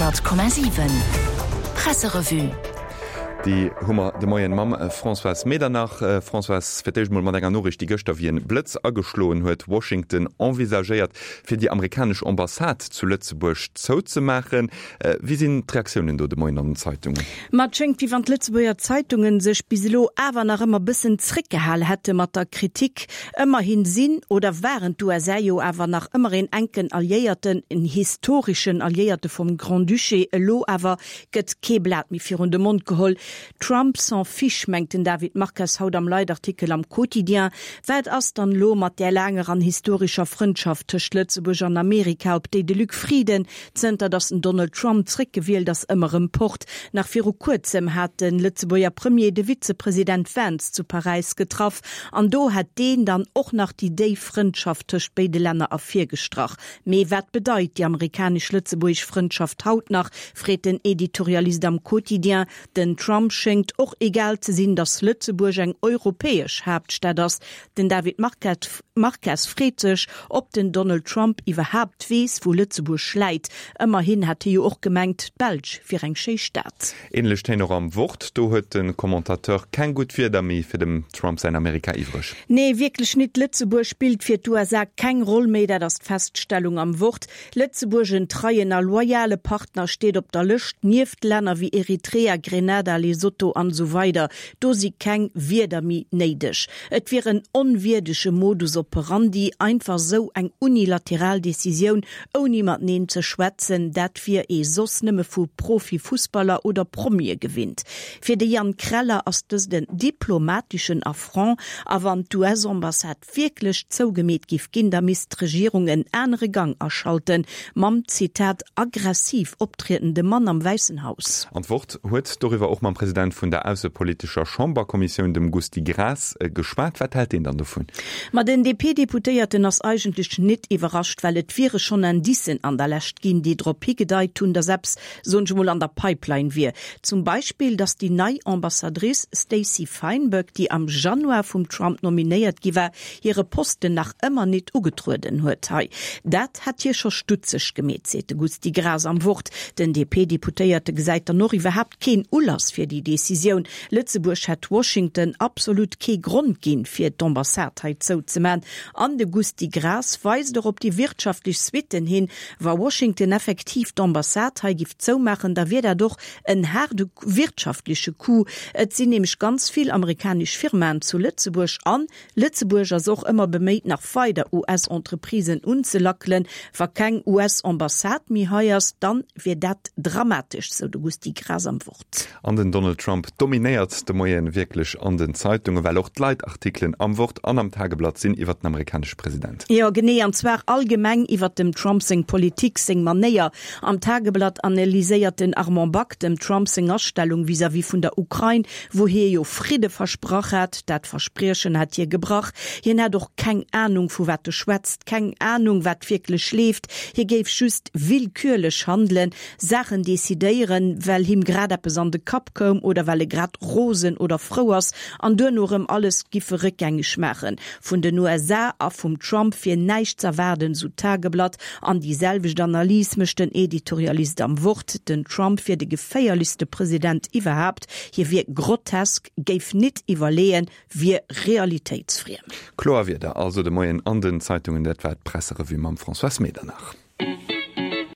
100,7 Presserevue. Déi hu mer de Moien mam Françoise Medernach. Françoise, fir d'éischt mol mat enger Noriicht, déi gëschter wéi en Blëtz ageschloen huet, Washington envisagéiert, fir déi amerikanesch Ambassade zu Lëtzebuerg zouzemaachen. Wéi sinn d'Reaktiounen do de Moien an den Zeitungen? Ma et schéngt, wéi wann d'Lëtzebuerger Zeitungen sech bis elo awer nach ëmmer bëssen zréckgehal hätte mat der Kritik. Ëmmerhin sinn oder waren d'USA jo awer nach ëmmer een enken Alliéierten, en historeschen Alliéierte vum Grand-Duché. Elo awer gëtt kee Blat méi virun de Mond geholl. Trump s'en fiche, mengt den David Marques haut am Leitartikel am Quotidien. Wat ass dann elo mat där laanger an historescher Frëndschaft tëscht Lëtzebuerg an Amerika, op déi de Luc Frieden Zënter datt den Donald Trump zréckgewielt ass, ëmmer rëm pocht. Nach viru kuerzem hat de Lëtzebuerger Premier de Vizepresident Vance zu Paräis getraff an do hätt deen dann och nach déi déif Frëndschaft tëscht béide Länner ervirgestrach. Mee wat bedeit déi amerikanesch-lëtzebuergesch Frëndschaft haut nach, freet den Editorialist am Quotidien. Den Trump schéngt och egal ze sinn, datt Lëtzebuerg eng europäesch Haaptstad ass. Den David Marques freet sech, ob den Donald Trump iwwerhaapt weess, wou Lëtzebuerg läit. Ëmmerhin hätt hie jo och gemengt, d'Belsch wier eng schéi Stad. Ähnlech Téin och am Wort. Do huet de Commentateur keng gutt Wierder méi fir dem Trump säin Amerika iwwreg. Nee, wierklech nit. Lëtzebuerg spillt fir d'USA keng Roll méi, dat ass d'Feststellung am Wort. Lëtzebuerg, en treien a loyale Partner, steet op der Lëscht, nieft Länner wéi Eritrea, Grenada, Lesotho an esou weider. Do si keng Wierder méi néideg. Et wier en onwierdege Modus operandi, einfach esou eng unilateral Decisioun, ouni mateneen ze schwätzen. Dat wier ee soss nëmme vu Profi-Fussballer oder Promie gewinnt. Fir de Yann Kreller ass dëst en diplomateschen Affront a wann d'US-Ambassade wierklech zougemeet giff ginn, da misst d'Regierung en anere Gang aschalten, mam, Zitat, aggressiv optriedende Mann am Wäissen Haus. An d'Wort huet doriwwer och mam President vun der aussepolitescher Chamberkommissioun, dem Gusty Graas, geschwat. Wat hält deen dann dovun? Ma den DP-Deputéierten ass eigentlech nit iwwerrascht, well et wiere schonn Indicen an der Lescht ginn, déi drop higedeit hunn, datt eppes soen ech emol, an der Pipeline wier. Zum Beispill, datt déi nei Ambassadrice Stacey Feinberg, déi am Januar vum Trump nominéiert gi war, hire Posten nach ëmmer nit ugetrueden huet hei. Dat hätt hie scho stutzeg gemeet, seet de Gusty Graas am Wort. Den DP-Deputéierte gesäit dann och iwwerhaapt keen Ulass fir déi Decisioun. Lëtzebuerg hätt Washington absolut kee Grond ginn, fir d'Ambassade hei zouzeman. An de Gusty Graas weist och op déi wirtschaftlech Suitten hin, Wa Washington effektiv d'Ambassade hei giff zoumaachen, da wier dat och en haarde wirtschaftleche Coup. Et sinn nämlech ganz vill amerikanesch Firmaen zu Lëtzebuerg an Lëtzebuerg ass och ëmmer beméit nach weider US-Entreprisen unzelackelen. Wa keng US-Ambassade méi hei ass, dann wier dat dramatesch, sou de Gusty Graas am Wort. An den Donald Trump dominéiert de Moien wierklech an den Zeitungen, well och d'Leitartikelen am Wort an am Tageblatt sinn iwwert den amerikanesche President. Jo, genee, an zwar allgemeng iwwert dem Trump seng Politik, seng Manéier. Am Tageblatt analyséiert den Armand Back dem Trump seng Astellung vis-à-vis vun der Ukrain, wou hie jo Fridde versprach hat. Dat Verspriechen hätt hie gebrach. Hien hätt och keng Anung vu wat e schwätzt, keng Anung wat wierklech leeft. Hie géif just willkürlech handelen. Saachen decidéieren, well him grad eppes an de Kapp koum oder well e grad rosen oder frou ass an duerno erëm alles giffe réckgängeg maachen. Vun den USA a vum Trump wier näischt z'erwaarden, sou d'Tageblatt. An déi selwecht Analys mécht den Editorialist am Wort, Den Trump wier de geféierlechste President iwwerhaapt, hie wier grotesk, géif nit iwwerleeën, wier realitéitsfriem. Kloer Wierder also de Moien an den Zeitungen. Dat war d'Presserevue mam Françoise Medernach.